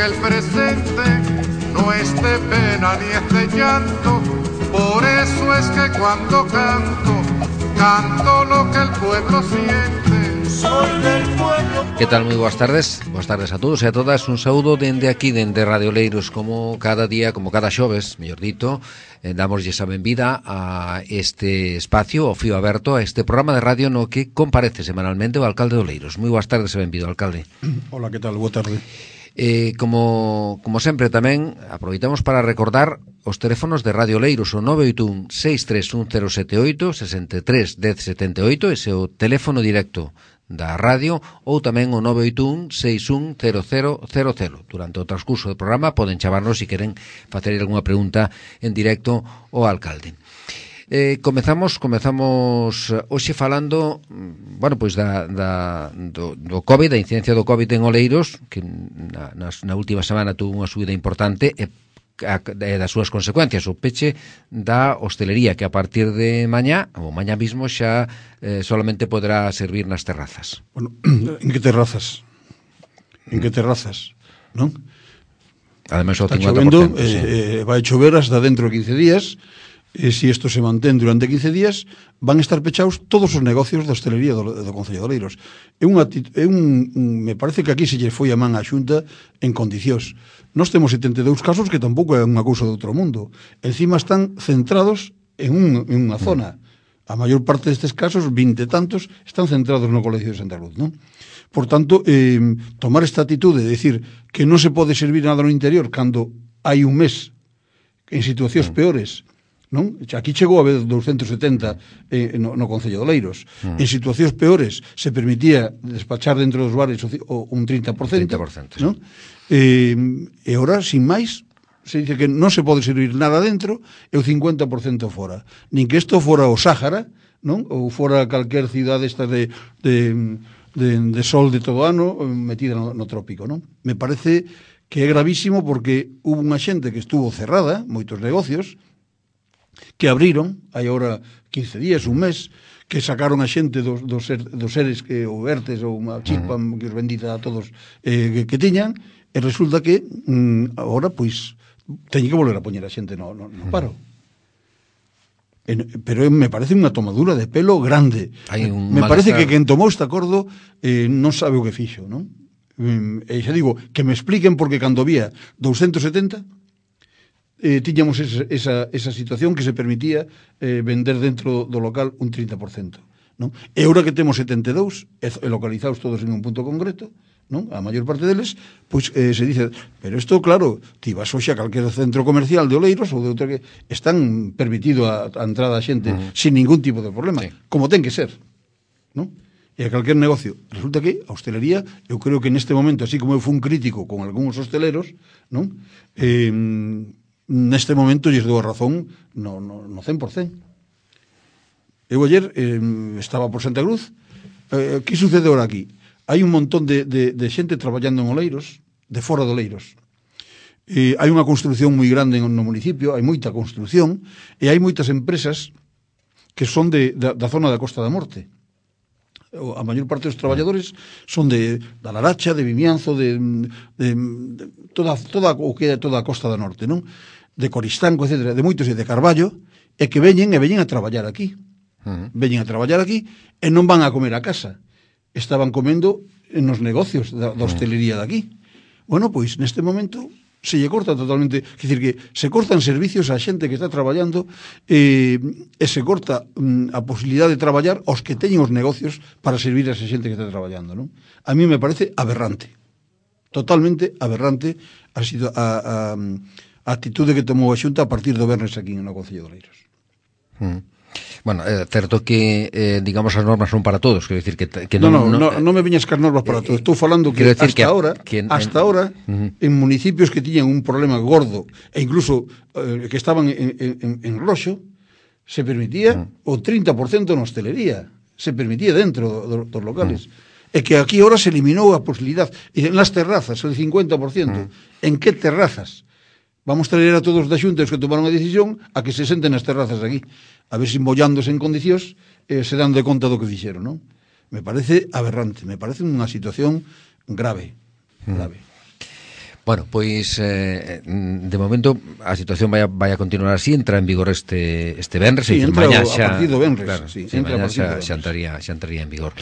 el presente no es de pena ni es de llanto. Por eso es que cuando canto, canto lo que el pueblo siente. Soy del pueblo. Que tal? Moi boas tardes. Boas tardes a todos e a todas. Un saúdo dende aquí, dende Radio Oleiros, como cada día, como cada xoves, mellor dito, damoslle a benvida a este espacio, o fío aberto, a este programa de radio no que comparece semanalmente o alcalde de Oleiros. Moi boas tardes e benvido, alcalde. Hola, que tal? Boa tarde. Como sempre tamén aproveitamos para recordar os teléfonos de Radio Oleiros, o 981 631 078 63 10 78, ese é o teléfono directo da radio, ou tamén o 981 61 0000. Durante o transcurso do programa poden chamarnos se queren facer algunha pregunta en directo ao alcalde. Comezamos hoxe falando, bueno, pois do COVID, da incidencia do COVID en Oleiros, que na última semana tuvo unha subida importante e das súas consecuencias, o peche da hostelería, que a partir de mañá, ou mañá mismo, xa solamente poderá servir nas terrazas. Bueno, en que terrazas? En que terrazas, non? Ademais, o 50%. Está chovendo, vai chover hasta dentro de 15 días. Se isto se mantén durante 15 días, van a estar pechados todos os negocios da hostelería do Concello de Oleiros. Me parece que aquí se lle foi a man á Xunta en condicións. Nós temos 72 casos, que tampouco é unha cousa de outro mundo. Encima están centrados en unha zona. A maior parte destes casos, 20 e tantos, están centrados no Colegio de Santa Cruz, non? Por tanto, tomar esta atitude de decir que non se pode servir nada no interior cando hai un mes en situacións peores, non? Aquí chegou a haber 270 no Concello de Oleiros. En situacións peores se permitía despachar dentro dos bares un 30%, non? E ora, sin máis, se dice que non se pode servir nada dentro e o 50% fora. Nin que isto fora o Sáhara, non? Ou fora calquer cidade esta de sol de todo ano metida no trópico, non? Me parece que é gravísimo porque hubo unha xente que estuvo cerrada, moitos negocios, que abriron, hai agora 15 días, un mes, que sacaron a xente dos seres que o ERTES ou unha chispa que os bendita a todos que tiñan, e resulta que agora, pois, teñen que volver a poñer a xente no paro. Pero me parece unha tomadura de pelo grande. Me parece que quen tomou este acordo non sabe o que fixo, non? E xa digo, que me expliquen porque cando había 270 tiñamos esa situación que se permitía vender dentro do local un 30%, non? E agora que temos 72 localizados todos en un punto concreto, non? A maior parte deles, pois se dice, pero isto, claro, ti vas hoxe a calquer centro comercial de Oleiros ou de outra que están permitido a entrada a xente sin ningún tipo de problema, como ten que ser, non? E a calquer negocio. Resulta que a hostelería, eu creo que neste momento, así como eu fui un crítico con algúns hosteleros, non? Neste momento lles dou a razón no 100%. Eu ayer estaba por Santa Cruz. Que sucede ahora aquí? Hai un montón de xente traballando en Oleiros, de fora de Oleiros. Hai unha construción moi grande no municipio, hai moita construción, e hai moitas empresas que son da zona da Costa da Morte. A maior parte dos traballadores son da Laracha, de Vimianzo, de toda a Costa da Norte, non? De Coristanco, etc., de moitos, e de Carballo, e que veñen a traballar aquí. Veñen a traballar aquí e non van a comer a casa. Estaban comendo nos negocios da hostelería de aquí. Bueno, pois, neste momento, se lle corta totalmente, quer dicir que se cortan servicios á xente que está traballando e se corta a posibilidade de traballar aos que teñen os negocios para servir a esa xente que está traballando, non? A mí me parece aberrante. Totalmente aberrante a atitude que tomou a Xunta a partir do venres aquí no Concello de Oleiros. Bueno, é certo que, digamos, as normas son para todos, quero dicir que non me viñas cas normas para todos. Estou falando que hasta ahora, en municipios que tiñan un problema gordo, e incluso que estaban en roxo, se permitía o 30% na hostelería, se permitía dentro dos locales. E que aquí ahora se eliminou a posibilidade. En las terrazas, el 50%. En que terrazas? Vamos traer a todos da Xunta os que tomaron a decisión a que se senten nas terrazas aquí, a ver se mollándose en condicións se dan de conta do que dixeron, non? Me parece aberrante, me parece unha situación grave. Bueno, pois de momento a situación vai a continuar así, entra en vigor este venres, sí, entra mañá a partir do venres, claro, sí, mañá xa entraría en vigor.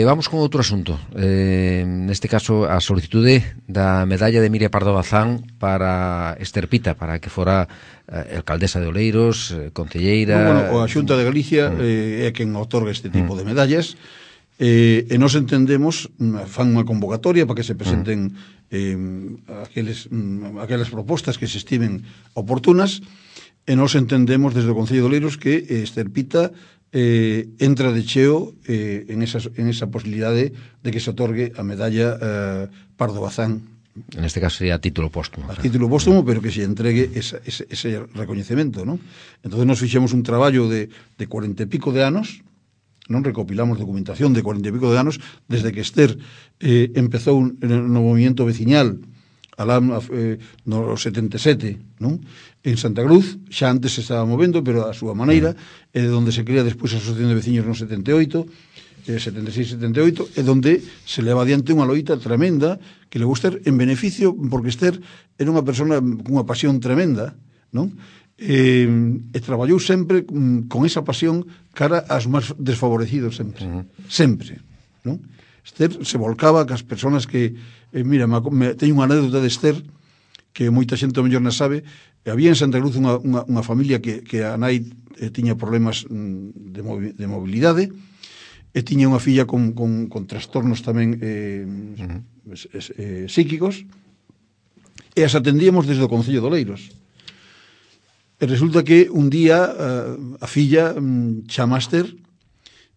Vamos con outro asunto, neste caso a solicitude da medalla de Miria Pardo Bazán para Ester Pita, para que fora alcaldesa de Oleiros, concelleira. Bueno, a Xunta de Galicia é quen otorga este tipo de medallas, e nos entendemos, fan unha convocatoria para que se presenten aquelas propostas que se estimen oportunas, e nos entendemos desde o Concello de Oleiros que Ester Pita entra de cheo en esa posibilidade de que se otorgue a medalla Pardo Bazán. En este caso sería a título póstumo. A título póstumo, pero que se entregue ese recoñecemento, ¿no? Entonces nos fixemos un traballo de 40 e pico de anos, non recopilamos documentación de 40 e pico de anos, desde que Ester empezou no movimiento veciñal no 77, non? En Santa Cruz, xa antes se estaba movendo, pero a súa maneira, é de onde se crea despois a Asociación de Veciños no 78, 76-78, e donde se leva adiante unha loita tremenda que levou Ester en beneficio, porque Ester era unha persona cunha pasión tremenda, non? E traballou sempre con esa pasión cara aos máis desfavorecidos sempre, sempre, non? Ester se volcaba cas persoas que mira, teño unha anécdota de Ester que moita xente ao mellor non sabe. Había en Santa Cruz unha familia que a nai tiña problemas de mobilidade e tiña unha filla con trastornos tamén psíquicos, e as atendíamos desde o Concello de Oleiros. E resulta que un día a filla chama a Ester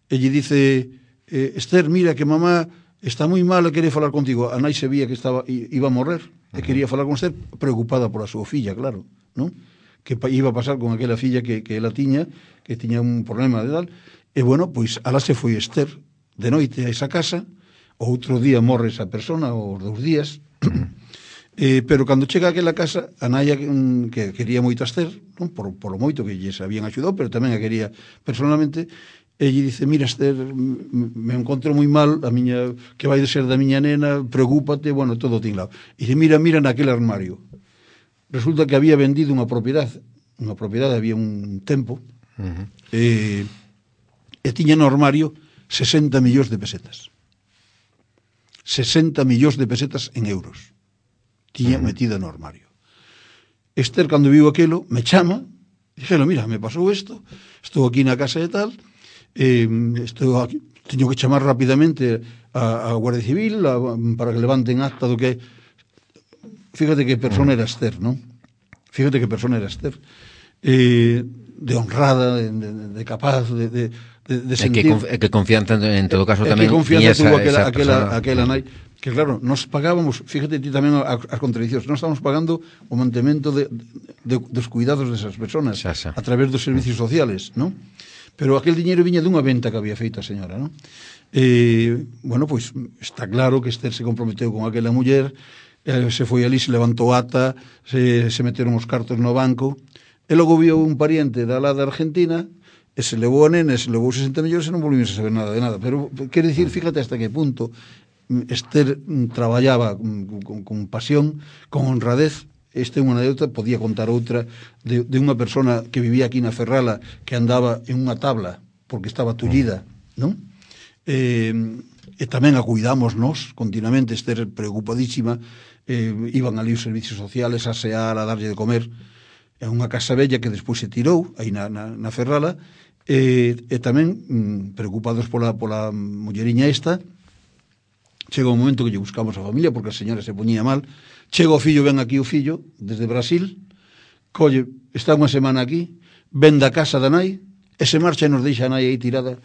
e lle dice: Ester, mira que mamá está moi mal e quere falar contigo. A nai se vía que iba a morrer e quería falar con Ester, preocupada por a súa filla, claro, non? Que iba a pasar con aquela filla que ela tiña, que tiña un problema de tal. E bueno, pois alá se foi Ester de noite a esa casa, outro día morre esa persona, os 2 días. Pero cando chega a aquela casa, a naia que quería moito a Ester, non? Por o moito que lles habían axudado, pero tamén a quería personalmente, e lle dice: mira, Ester, me encontro moi mal, que vai de ser da miña nena, preocúpate, bueno, todo tinglado. E dice: mira naquele armario. Resulta que había vendido unha propiedade, había un tempo, e tiña no armario 60 millóns de pesetas. 60 millóns de pesetas en euros tiña metida no armario. Ester, cando viu aquilo, me chama, dixelo: mira, me pasou isto, estou aquí na casa e tal, estou aquí, teño que chamar rapidamente a Guardia Civil para que levanten acta do que... Fíjate que persona era Ester, non? Fíjate que persona era Ester. De honrada, de capaz, de sentir... que confianza en todo caso tamén... Que confianza tuvo aquela nai. Que claro, nos pagábamos, fíjate ti tamén as contradicións, nos estamos pagando o mantemento dos cuidados desas persoas a través dos servicios sociales, non? Pero aquel diñeiro viña dunha venta que había feito a señora, non? Bueno, pois está claro que Ester se comprometeu con aquela muller, se foi ali, se levantou ata, se meteron os cartos no banco, e logo viu un pariente da lá da Argentina, e se levou a nena, se levou 60 millóns e non volvimos a saber nada de nada. Pero, quere dicir, fíjate hasta que punto Ester traballaba con pasión, con honradez. Esta é unha anécdota, podía contar outra de unha persona que vivía aquí na Ferrala, que andaba en unha tabla porque estaba tullida, non? E tamén a cuidamos nós continuamente. Ester preocupadísima, iban ali os servicios sociales a asear, a darlle de comer. É unha casa bella que despois se tirou aí na Ferrala, e tamén preocupados pola mulleriña esta. Chega un momento que lle buscamos a familia porque a señora se poñía mal. Chega o fillo, ven aquí o fillo desde Brasil, colle, está unha semana aquí, ven da casa da nai e se marcha e nos deixa a nai aí tirada.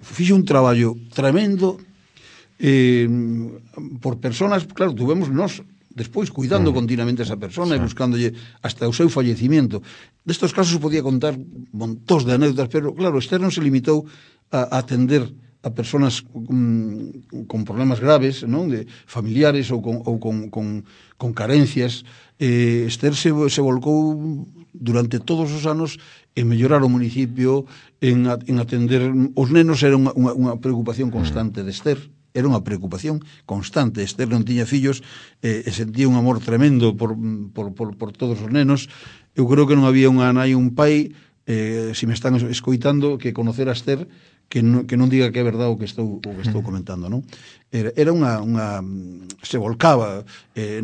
Fixo un traballo tremendo por personas, claro, tuvemos nós despois cuidando continuamente a esa persona e buscándolle hasta o seu fallecimiento. Destos casos podía contar montóns de anécdotas, pero claro, Ester non se limitou a atender a persoas con problemas graves, non, de familiares ou con carencias. Ester se volcou durante todos os anos en mellorar o municipio, en atender os nenos. Era unha preocupación constante de Ester, era unha preocupación constante. Esther non tiña fillos e sentía un amor tremendo por todos os nenos. Eu creo que non había unha nai, un pai, se me están escoitando, que conocer a Esther que non diga que é verdade o que estou comentando, non? Era unha se volcaba,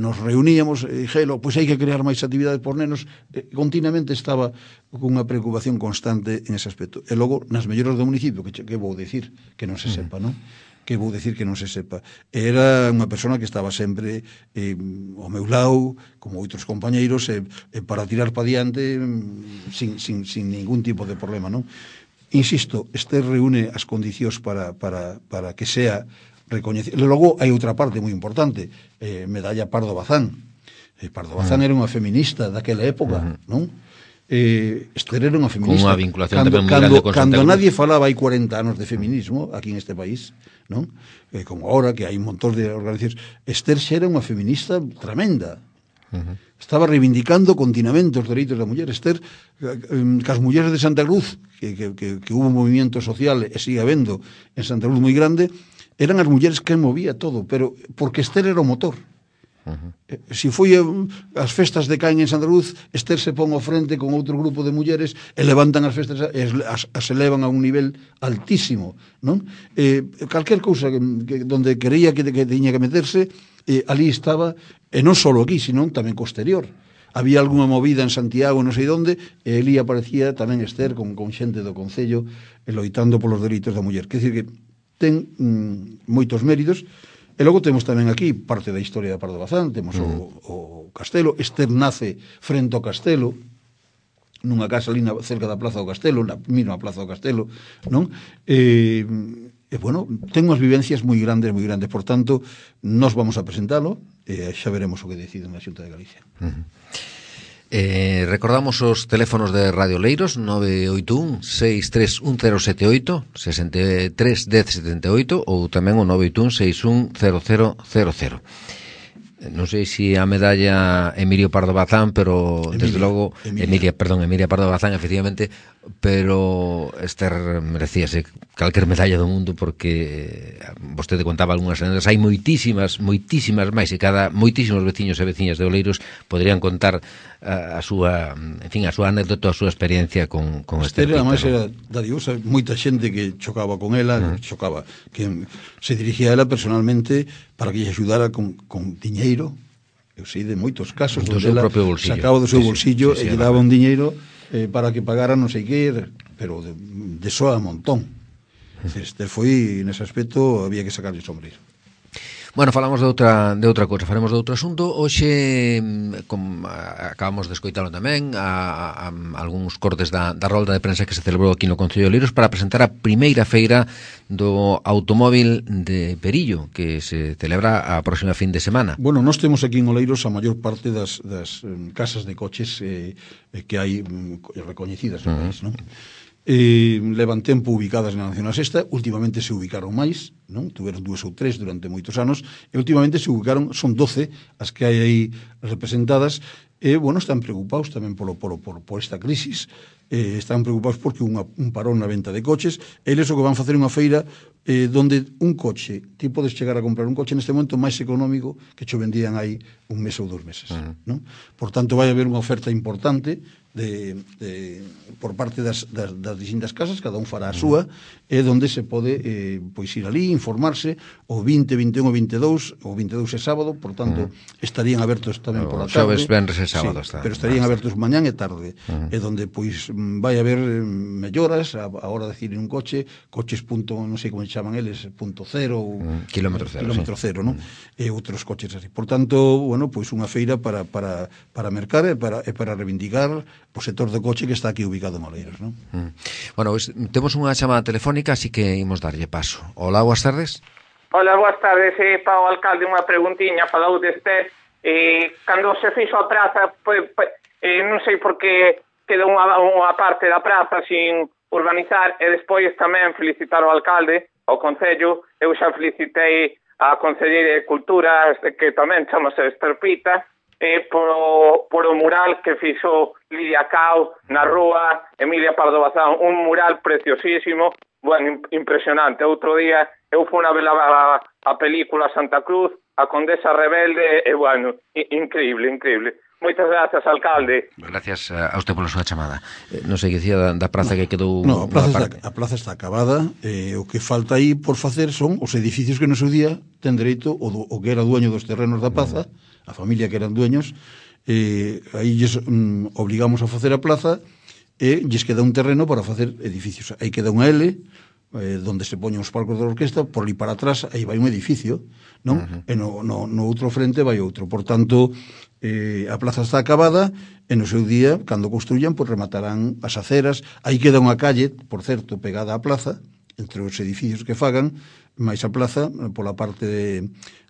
nos reuníamos e dixelo, pois hai que crear máis actividades por nenos, continuamente estaba con unha preocupación constante en ese aspecto. E logo, nas melloras do municipio, que vou dicir que non se sepa, non? Que vou dicir que non se sepa. Era unha persona que estaba sempre ao meu lado, como outros compañeiros, para tirar pa diante sin ningún tipo de problema, non? Insisto, este reúne as condicións para que sea recoñecido. Logo, hai outra parte moi importante, medalla Pardo Bazán. Pardo Bazán era unha feminista daquela época, non? Esther era unha feminista. Con unha vinculación tamén moi grande con Santa Cruz. Cando nadie falaba hai 40 anos de feminismo aquí en este país, non? Como ahora, que hai un montón de organizacións. Esther xa era unha feminista tremenda. Estaba reivindicando continuamente os dereitos da muller. Esther, que as mulleres de Santa Cruz, que hubo un movimiento social e sigue habendo en Santa Cruz moi grande, eran as mulleres que movía todo, pero porque Esther era o motor. Si foi as festas de Caen en Santa Cruz, Esther se pon ao frente con outro grupo de mulleres e levantan as festas, as elevan a un nivel altísimo, non? Calquer cousa donde quería que tiña que meterse, ali estaba, e non só aquí, sino tamén co exterior. Había algunha movida en Santiago, non sei onde, e ali aparecía tamén Esther con xente do Concello loitando polos dereitos da muller. Quer dizer que ten moitos méritos. E logo temos tamén aquí parte da historia da Pardo Bazán, temos o castelo. Esther nace frente ao castelo, nunha casa ali cerca da Plaza do Castelo, na mesma Plaza do Castelo, non? E bueno, ten unhas vivencias moi grandes, por tanto, nós vamos a presentalo e xa veremos o que decide na Xunta de Galicia. Recordamos os teléfonos de Radio Leiros 981 631078 63 1078 ou tamén o 981 610000. Non sei se a medalla Emilio Pardo Bazán, pero desde logo Emilia Pardo Bazán, efectivamente, pero Esther merecíase calquer medalla do mundo, porque vostede contaba algunhas anécdotas, hai moitísimas máis, e moitísimos veciños e veciñas de Oleiros poderían contar a súa anécdota, a súa experiencia con Esther. Esther, además, era dadivosa, moita xente que chocaba con ela, que se dirigía a ela personalmente para que lle axudara con diñeiro. Eu sei de moitos casos do seu propio bolsillo, sacaba do seu bolsillo e lle daba un diñeiro para que pagara non sei que, pero de soa a montón. Esther foi, nese aspecto, había que sacarlle sombreiro. Bueno, falamos de outra cousa, faremos de outro asunto. Hoxe acabamos de escoitalo tamén a algúns cortes da rolda de prensa que se celebrou aquí no Concello de Oleiros para presentar a primeira feira do automóvil de Perillo, que se celebra a próxima fin de semana. Bueno, nós temos aquí en Oleiros a maior parte das casas de coches que hai recoñecidas no país, non? Levan tempo ubicadas na Nacional Sexta, últimamente se ubicaron máis, non? Tuveron 2 ou 3 durante moitos anos, e últimamente se ubicaron, son 12 as que hai aí representadas, e, bueno, están preocupados tamén por esta crisis, están preocupados porque un parón na venta de coches, e eles o que van facer unha feira donde un coche, ti podes chegar a comprar un coche neste momento máis económico que cho vendían aí un mes ou 2 meses, non? Por tanto, vai haber unha oferta importante por parte das distintas casas, cada un fará a súa, e donde se pode pois ir ali, informarse, o 20, 21 o 22 é sábado, por tanto estarían abertos tamén por a tarde, xoves, venres e sábado, sí, pero estarían abertos mañán e tarde, e donde pois vai haber melloras a hora de decir un coches punto, non sei como chaman eles, punto cero ou kilómetro cero, non? E outros coches así. Por tanto, bueno, pois unha feira para mercar e para reivindicar o sector do coche que está aquí ubicado en Oleiros, non? Bueno, pues, temos unha chamada telefónica, así que imos darlle paso. Hola, boas tardes. Hola, boas tardes, para o alcalde unha preguntiña, falou deste, cando se fixo a praza, non sei por que quedou unha parte da praza sin urbanizar, e despois tamén felicitar o alcalde, ao Concello. Eu xa felicitei a Concelleira de Cultura, que tamén chamase Esther Pita, por o mural que fixo Lidia Cao na rúa Emilia Pardo Bazán, un mural preciosísimo bueno, impresionante. Outro día eu fui a ver a película Santa Cruz, a Condesa Rebelde, e, bueno, increíble. Moitas grazas, alcalde. Gracias a usted pola súa chamada. Non sei que dicía da praza que quedou... No, a plaza está acabada. O que falta aí por facer son os edificios que no seu día ten dereito o que era dueño dos terrenos da plaza, a familia que eran dueños, aí lles obligamos a facer a plaza e lles queda un terreno para facer edificios. Aí queda unha L, donde se poñen os palcos da orquesta, por ali para atrás aí vai un edificio, non? E no outro frente vai outro. Por tanto, a plaza está acabada e no seu día, cando construyan, pues rematarán as aceras. Aí queda unha calle, por certo, pegada á plaza, entre os edificios que fagan, máis a plaza, pola parte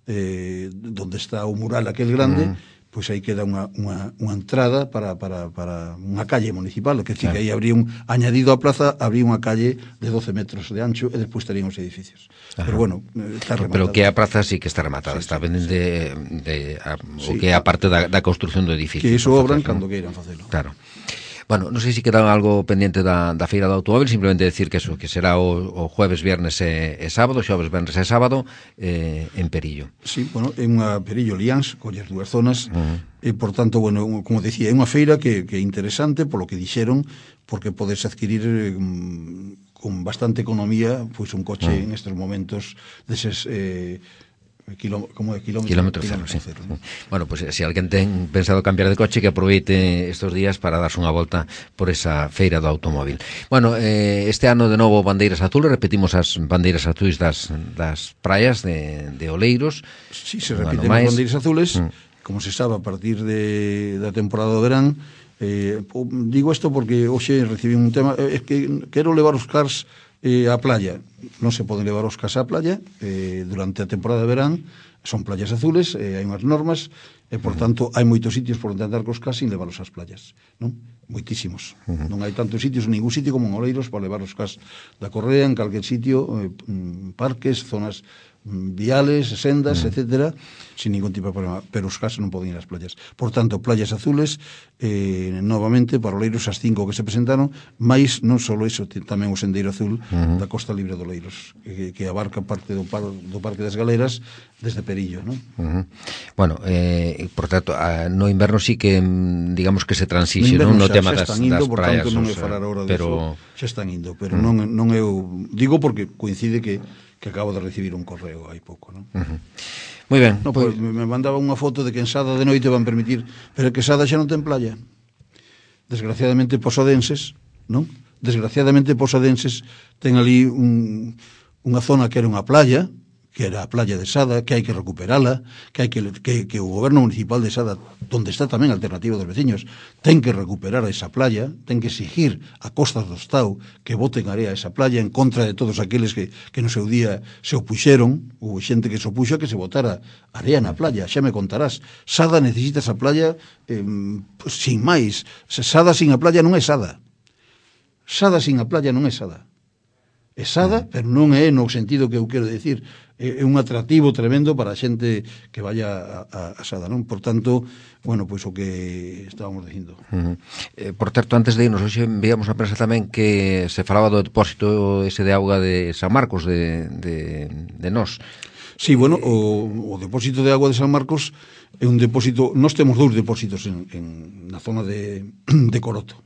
donde está o mural aquel grande, pois aí queda unha entrada para unha calle municipal, que sí, que aí habría añadido a plaza, habría unha calle de 12 metros de ancho e despois estarían os edificios. Pero bueno, está rematada. Pero que a praza sí que está rematada, está pendente o que é a parte da construción do edificio. Que iso obran cando queiran facelo. Claro. Bueno, non sei se queda algo pendiente da feira do automóvil, simplemente decir que eso, que será o jueves, viernes e sábado, xoves, viernes e sábado, en Perillo. Sí, bueno, é unha Perillo Liáns, colles dúas zonas, e, por tanto, bueno, como decía, é unha feira que é interesante, polo que dixeron, porque podes adquirir con bastante economía, pois un coche en estes momentos deses... kilómetro cero, ¿no? Bueno, pues si alguén ten pensado cambiar de coche, que aproveite estos días para darse unha volta por esa feira do automóvil. Bueno, este ano de novo bandeiras azules, repetimos as bandeiras azules das praias de Oleiros. Sí, se repiten as bandeiras azules, como se sabe, a partir da temporada do verán. Digo isto porque hoxe recibí un tema, é que quero levar os cars a playa. Non se poden levar os cars á playa durante a temporada de verán, son playas azules, hai unhas normas e, por tanto, hai moitos sitios por onde andar cos cars sin levarlos ás playas, non? Moitísimos. Non hai tantos sitios, ningún sitio como en Oleiros para levar os cars da Correa, en calquer sitio, parques, zonas viales, sendas, etcétera, sin ningún tipo de problema, pero os cars non poden ir ás playas. Por tanto, playas azules, novamente, para Oleiros as 5 que se presentaron, máis non só iso, tamén o sendeiro azul da Costa Libre de Oleiros, que abarca parte do Parque das Galeras desde Perillo, non? Bueno, por tanto, no inverno sí que, digamos que se transixe, non? No tema das praias. Por tanto, non é falar agora disso, xa están indo, pero non eu digo porque coincide que acabo de recibir un correo hai pouco, non? Moi ben. No, pues, me mandaba unha foto de que en Sada de noite van permitir, pero que Sada xa non ten playa. Desgraciadamente posadenses, non? Desgraciadamente posadenses ten ali unha zona que era unha playa, que era a playa de Sada, que hai que recuperala, que hai que o goberno municipal de Sada, onde está tamén a alternativa dos veciños, ten que recuperar esa playa, ten que exigir a Costas do Estado que boten area a esa playa en contra de todos aqueles que no seu día se opuxeron, ou xente que se opuxo a que se botara area na playa, xa me contarás. Sada necesita esa playa sin máis. Sada sin a playa non é Sada. Sada sin a playa non é Sada. É Sada, pero non é no sentido que eu quero decir. É un atractivo tremendo para a xente que vaya a Sada, non? Por tanto, bueno, pois o que estábamos dicindo. Por certo, antes de irnos, hoxe enviamos a prensa tamén que se falaba do depósito ese de auga de San Marcos, de Nós. Sí, bueno, o depósito de auga de San Marcos é un depósito, nós temos 2 depósitos na zona de Coroto.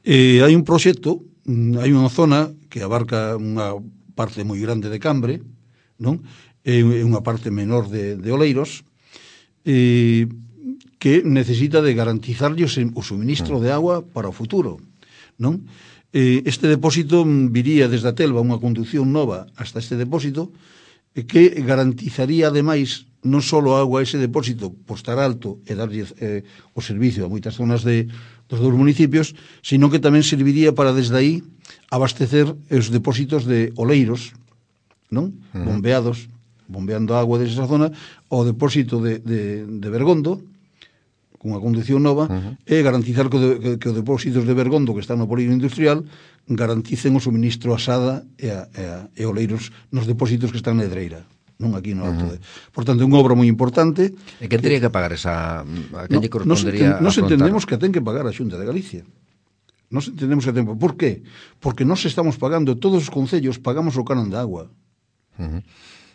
Hai un proxecto, hai unha zona que abarca unha parte moi grande de Cambre, non? É unha parte menor de Oleiros, que necesita de garantizarlle o suministro de agua para o futuro, non? Este depósito viría desde a Telva unha conducción nova hasta este depósito, que garantizaría, ademais, non só a agua a ese depósito por estar alto e darlle o servicio a moitas zonas dos 2 municipios, sino que tamén serviría para desde aí abastecer os depósitos de Oleiros, non? Bombeando agua desde esa zona, ao depósito de Bergondo, con unha conducción nova, e garantizar que os depósitos de Bergondo que están no polígono industrial garanticen o suministro a Sada e Oleiros nos depósitos que están na Edreira, non aquí no alto. Por tanto, é unha obra moi importante. E que teria que pagar esa? A quen lle correspondería? Nos entendemos que ten que pagar a Xunta de Galicia. Nos entendemos a tempo. Por qué? Porque nós estamos pagando, todos os concellos pagamos o canon de agua.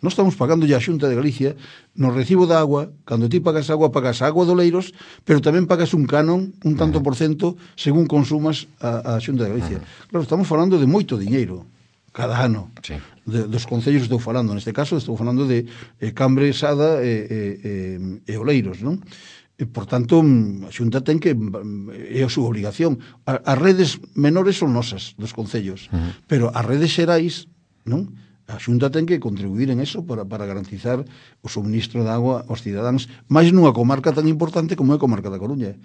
Nós estamos pagando a Xunta de Galicia no recibo da agua, cando ti pagas a agua do Leiros, pero tamén pagas un canon, un tanto por cento, según consumas a Xunta de Galicia. Claro, estamos falando de moito diñeiro cada ano. Sí. Dos concellos estou falando, neste caso estou falando de Cambre, Sada e Oleiros, non? E, por tanto, a Xunta ten que é a súa obligación. As redes menores son nosas, dos concellos, pero as redes xerais, non? A Xunta ten que contribuir en eso para garantizar o suministro de agua aos cidadáns, máis nunha comarca tan importante como é a comarca da Coruña.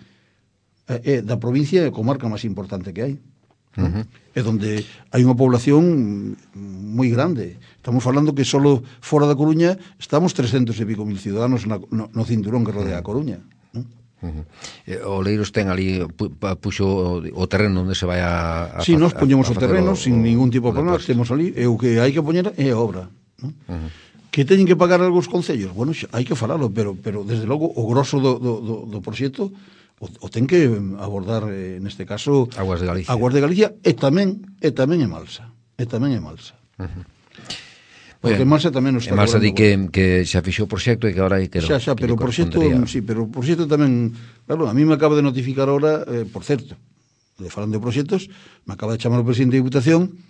É da provincia é a comarca máis importante que hai. É onde hai unha población moi grande. Estamos falando que solo fora da Coruña estamos 300 e pico mil ciudadanos no cinturón que rodea a Coruña. O Leiros ten ali puxo o terreno onde se vai a si, nós poñemos o terreno sin ningún tipo de problema, temos ali, e o que hai que poñer é a obra, non? Que teñen que pagar algúns concellos? Bueno, hai que falalo, pero desde logo o grosso do proxecto o ten que abordar, neste caso, Aguas de Galicia. Aguas de Galicia e tamén Emalsa. Porque Emalsa tamén nos está Emalsa di que xa fixou o proxecto e que agora hai que pero o proxecto, sí, pero o proxecto tamén, claro, a mí me acaba de notificar ahora, por certo, falando de proxectos, me acaba de chamar o presidente de Diputación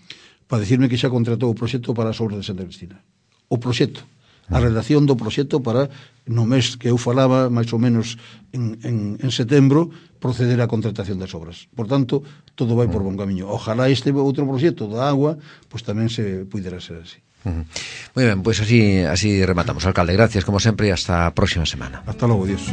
para decirme que xa contratou o proxecto para as obras de Santa Cristina. O proxecto, a redacción do proxecto para, no mes que eu falaba, máis ou menos en setembro, proceder á contratación das obras. Por tanto, todo vai por bon camiño. Ojalá este outro proxecto da agua, pois tamén se pudera ser así. Muy ben, pois así rematamos. Alcalde, gracias como sempre e hasta a próxima semana. Hasta logo, Dios.